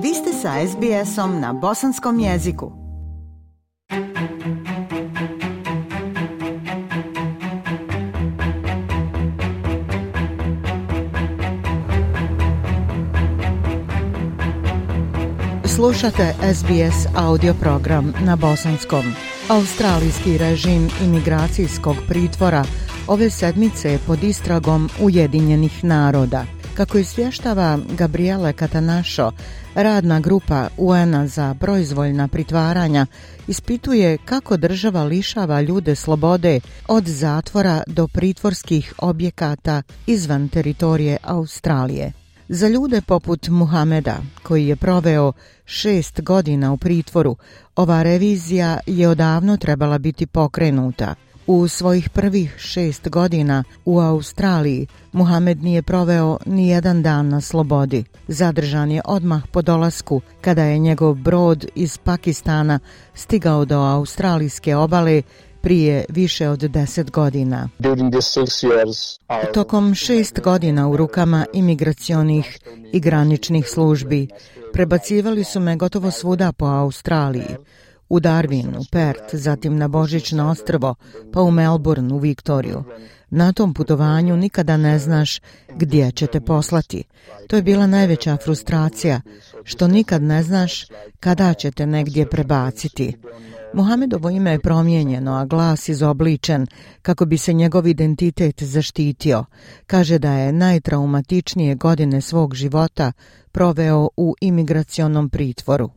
Vi ste sa SBS-om na bosanskom jeziku. Slušate SBS audio program na bosanskom. Australijski režim imigracijskog pritvora ove sedmice je pod istragom Ujedinjenih naroda. Kako izvještava Gabriele Catanacho, radna grupa UN-a za proizvoljna pritvaranja ispituje kako država lišava ljude slobode od zatvora do pritvorskih objekata izvan teritorije Australije. Za ljude poput Muhameda, koji je proveo 6 godina u pritvoru, ova revizija je odavno trebala biti pokrenuta. U svojih prvih 6 godina u Australiji Muhamed nije proveo ni jedan dan na slobodi. Zadržan je odmah po dolasku kada je njegov brod iz Pakistana stigao do australijske obale prije više od 10 godina. Tokom 6 godina u rukama imigracionih i graničnih službi prebacivali su me gotovo svuda po Australiji. U Darwin, u Perth, zatim na Božićno ostrvo, pa u Melbourne, u Viktoriju. Na tom putovanju nikada ne znaš gdje će te poslati. To je bila najveća frustracija, što nikad ne znaš kada će te negdje prebaciti. Muhamedovo ime je promijenjeno, a glas izobličen kako bi se njegov identitet zaštitio. Kaže da je najtraumatičnije godine svog života proveo u imigracionom pritvoru.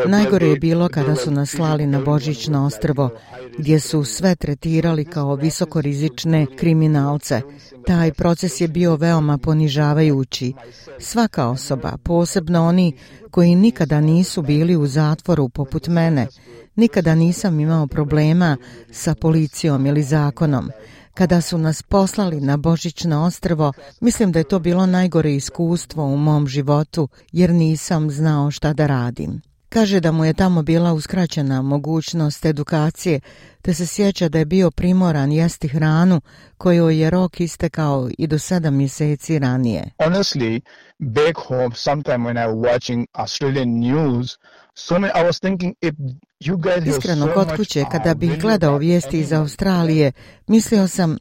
Najgore je bilo kada su nas slali na Božićno ostrvo, gdje su sve tretirali kao visokorizične kriminalce. Taj proces je bio veoma ponižavajući. Svaka osoba, posebno oni koji nikada nisu bili u zatvoru poput mene, nikada nisam imao problema sa policijom ili zakonom. Kada su nas poslali na Božićno ostrvo, mislim da je to bilo najgore iskustvo u mom životu, jer nisam znao šta da radim. Kaže da mu je tamo bila uskraćena mogućnost edukacije, te se sjeća da je bio primoran jesti hranu kojoj je rok istekao i do 7 mjeseci ranije. Honestly, back home, sometime when I was watching Australian news, I was thinking if you guys Iskreno, kod kuće, kada bih gledao vijesti iz Australije, mislio sam,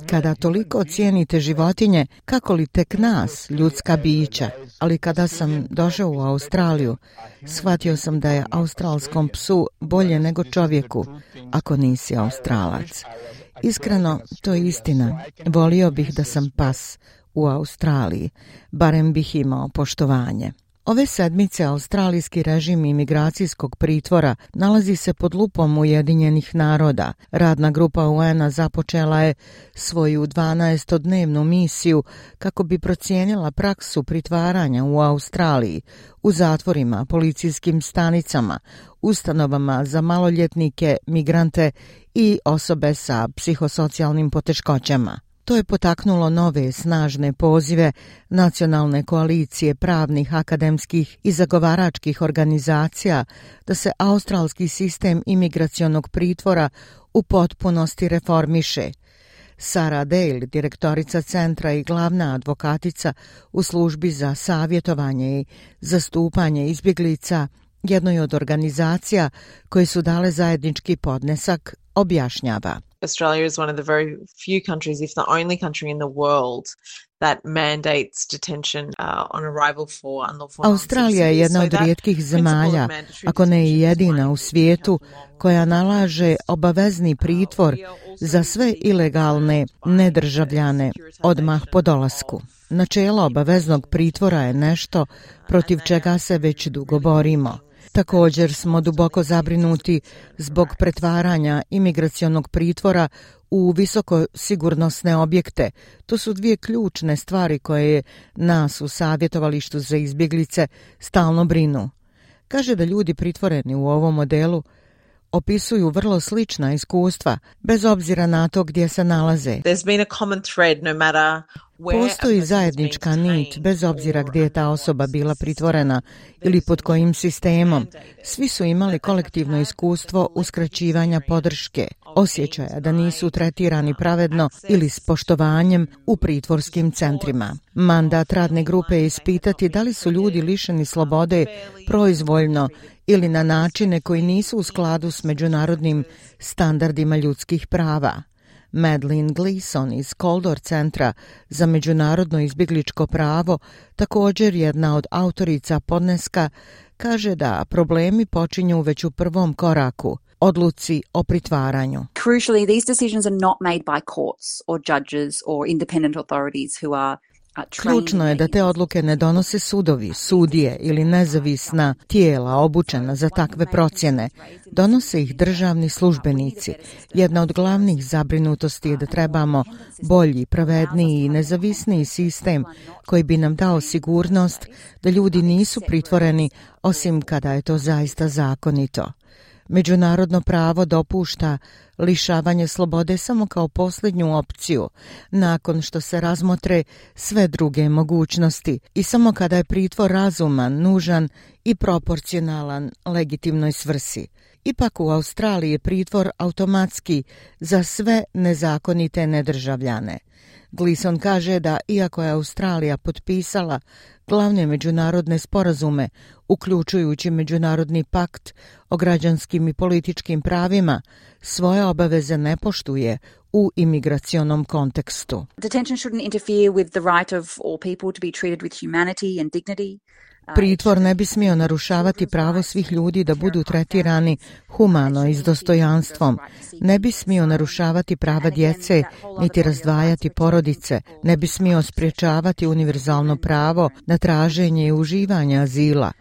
kada toliko cijenite životinje, kako li tek nas, ljudska bića. Ali kada sam došao u Australiju, shvatio sam da je australskom psu bolje nego čovjeku, ako nisi Australac. Iskreno, to je istina. Volio bih da sam pas u Australiji, barem bih imao poštovanje. Ove sedmice australijski režim imigracijskog pritvora nalazi se pod lupom Ujedinjenih naroda. Radna grupa UN-a započela je svoju 12-dnevnu misiju kako bi procijenila praksu pritvaranja u Australiji, u zatvorima, policijskim stanicama, ustanovama za maloljetnike, migrante i osobe sa psihosocijalnim poteškoćama. To je potaknulo nove snažne pozive nacionalne koalicije pravnih, akademskih i zagovaračkih organizacija da se australski sistem imigracionog pritvora u potpunosti reformiše. Sarah Dale, direktorica centra i glavna advokatica u službi za savjetovanje i zastupanje izbjeglica, jednoj od organizacija koje su dale zajednički podnesak, objašnjava. Australia is one of the very few countries, if the only country in the world, that mandates detention on arrival for unlawful. Australija je jedna od rijetkih zemalja, ako ne i jedina u svijetu, koja nalaže obavezni pritvor za sve ilegalne nedržavljane odmah po dolasku. Načelo obaveznog pritvora je nešto protiv čega se već dugo borimo. Također smo duboko zabrinuti zbog pretvaranja imigracionog pritvora u visoko sigurnosne objekte. To su dvije ključne stvari koje nas u savjetovalištu za izbjeglice stalno brinu. Kaže da ljudi pritvoreni u ovom modelu opisuju vrlo slična iskustva, bez obzira na to gdje se nalaze. Postoji zajednička nit, bez obzira gdje je ta osoba bila pritvorena ili pod kojim sistemom. Svi su imali kolektivno iskustvo uskraćivanja podrške. osjećaja da nisu tretirani pravedno ili s poštovanjem u pritvorskim centrima. Mandat radne grupe je ispitati da li su ljudi lišeni slobode proizvoljno ili na načine koji nisu u skladu s međunarodnim standardima ljudskih prava. Madeleine Gleeson iz Coldor centra za međunarodno izbjegličko pravo, također jedna od autorica podneska, kaže da problemi počinju već u prvom koraku, odluci o pritvaranju. Crucially, these decisions are not made by courts or judges or independent authorities who are Ključno je da te odluke ne donose sudovi, sudije ili nezavisna tijela obučena za takve procjene. Donose ih državni službenici. Jedna od glavnih zabrinutosti je da trebamo bolji, pravedniji i nezavisniji sistem koji bi nam dao sigurnost da ljudi nisu pritvoreni osim kada je to zaista zakonito. Međunarodno pravo dopušta lišavanje slobode samo kao posljednju opciju, nakon što se razmotre sve druge mogućnosti i samo kada je pritvor razuman, nužan i proporcionalan legitimnoj svrsi. Ipak u Australiji je pritvor automatski za sve nezakonite nedržavljane. Gleeson kaže da iako je Australija potpisala glavne međunarodne sporazume, uključujući Međunarodni pakt o građanskim i političkim pravima, svoje obaveze ne poštuje u imigracionom kontekstu. Detention shouldn't interfere with the right of all people to be treated with humanity and dignity. Pritvor ne bi smio narušavati pravo svih ljudi da budu tretirani humano i s dostojanstvom. Ne bi smio narušavati prava djece, niti razdvajati porodice. Ne bi smio sprječavati univerzalno pravo na traženje i uživanje azila.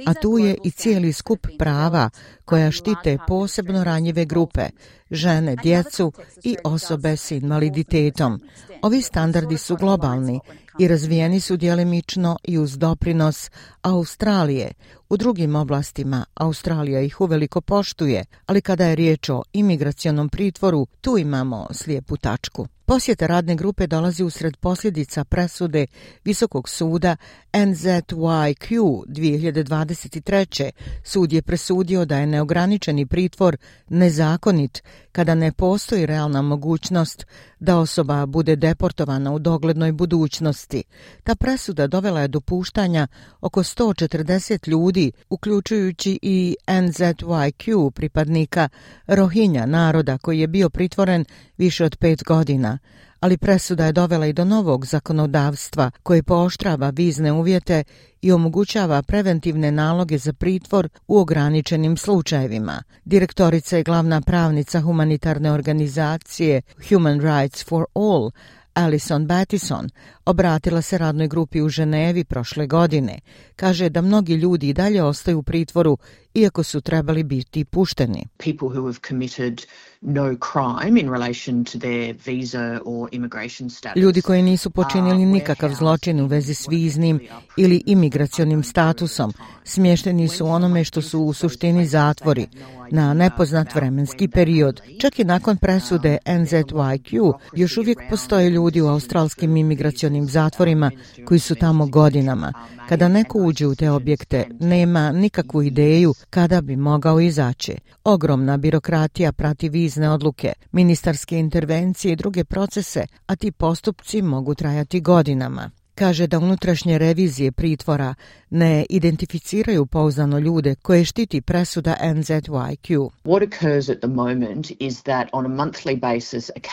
A tu je i cijeli skup prava koja štite posebno ranjive grupe, žene, djecu i osobe s invaliditetom. Ovi standardi su globalni i razvijeni su djelimično i uz doprinos Australije. U drugim oblastima Australija ih uveliko poštuje, ali kada je riječ o imigracionom pritvoru, tu imamo slijepu tačku. Posjeta radne grupe dolazi usred posljedica presude Visokog suda NZYQ 2023. Sud je presudio da je neograničeni pritvor nezakonit kada ne postoji realna mogućnost da osoba bude deportovana u doglednoj budućnosti. Ta presuda dovela je do puštanja oko 140 ljudi, uključujući i NZYQ pripadnika Rohingya naroda koji je bio pritvoren više od 5 godina. Ali presuda je dovela i do novog zakonodavstva koje pooštrava vizne uvjete i omogućava preventivne naloge za pritvor u ograničenim slučajevima. Direktorica i glavna pravnica humanitarne organizacije Human Rights for All, Alison Battison, obratila se radnoj grupi u Ženevi prošle godine. Kaže da mnogi ljudi i dalje ostaju u pritvoru iako su trebali biti pušteni. People who have committed no crime in relation to their visa or immigration status. Ljudi koji nisu počinili nikakav zločin u vezi s viznim ili imigracionim statusom smješteni su onome što su u suštini zatvori na nepoznat vremenski period. Čak i nakon presude NZYQ još uvijek postoje ljudi u australskim imigracionim zatvorima koji su tamo godinama. Kada neko uđe u te objekte, nema nikakvu ideju kada bi mogao izaći. Ogromna birokratija prati vizne odluke, ministarske intervencije i druge procese, a ti postupci mogu trajati godinama. Kaže da unutrašnje revizije pritvora ne identificiraju pouzdano ljude koje štiti presuda NZYQ.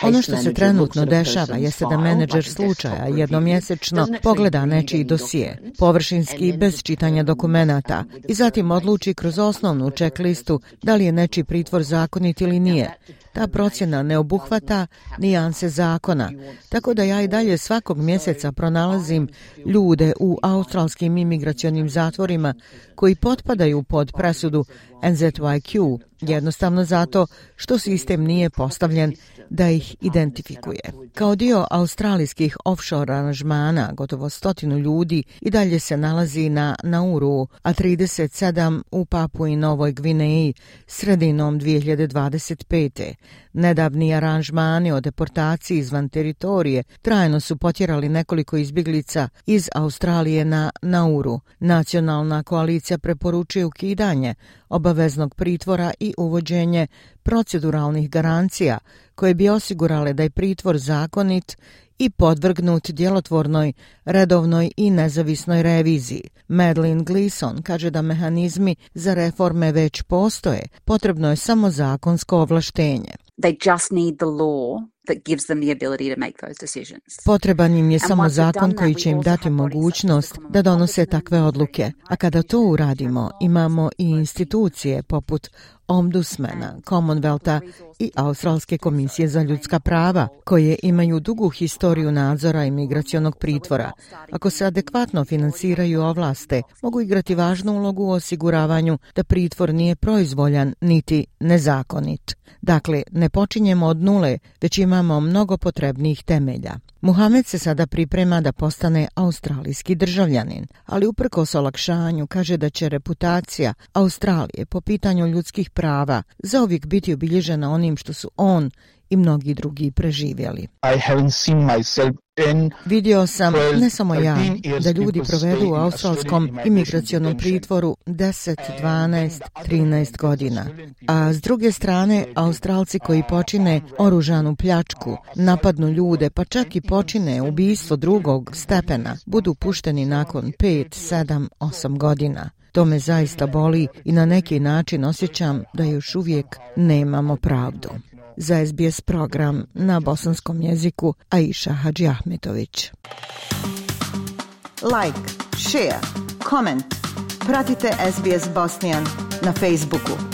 Ono što se trenutno dešava jeste da menadžer slučaja jednomjesečno pogleda nečiji dosije, površinski bez čitanja dokumenata i zatim odluči kroz osnovnu checklistu da li je nečiji pritvor zakonit ili nije. Ta procjena ne obuhvata nijanse zakona, tako da ja i dalje svakog mjeseca pronalazim ljude u australskim imigracionim zatvorima koji potpadaju pod presudu NZYQ, jednostavno zato što sistem nije postavljen da ih identifikuje. Kao dio australijskih offshore aranžmana, gotovo 100 ljudi i dalje se nalazi na Nauru, a 37 u Papui Novoj Gvineji sredinom 2025. Nedavni aranžmani o deportaciji izvan teritorije trajno su potjerali nekoliko izbjeglica iz Australije na Nauru. Nacionalna koalicija preporučuje ukidanje obaveznog pritvora i i uvođenje proceduralnih garancija koje bi osigurale da je pritvor zakonit i podvrgnut djelotvornoj, redovnoj i nezavisnoj reviziji. Madeleine Gleeson kaže da mehanizmi za reforme već postoje, potrebno je samo zakonsko ovlaštenje. They just need the law that gives them the ability to make those decisions. Potreban im je samo zakon koji će im dati mogućnost da donose takve odluke. A kada to uradimo, imamo i institucije poput Ombudsmana, Commonwealtha i Australske komisije za ljudska prava, koje imaju dugu historiju nadzora imigracionog pritvora. Ako se adekvatno finansiraju i ovlaste, mogu igrati važnu ulogu u osiguravanju da pritvor nije proizvoljan niti nezakonit. Dakle, ne počinjemo od nule, već imamo mnogo potrebnih temelja. Muhamed se sada priprema da postane australijski državljanin, ali uprkos olakšanju kaže da će reputacija Australije po pitanju ljudskih prava zauvijek biti obilježena onim što su on i mnogi drugi preživjeli. Vidio sam, ne samo ja, da ljudi provedu u australskom imigracionom pritvoru 10, 12, 13 godina. A s druge strane, Australci koji počine oružanu pljačku, napadnu ljude, pa čak i počine ubistvo drugog stepena, budu pušteni nakon 5, 7, 8 godina. To me zaista boli i na neki način osjećam da još uvijek nemamo pravdu. Za SBS program na bosanskom jeziku Aisha Hadžiahmetović. Like, share, comment. Pratite SBS Bosnian na Facebooku.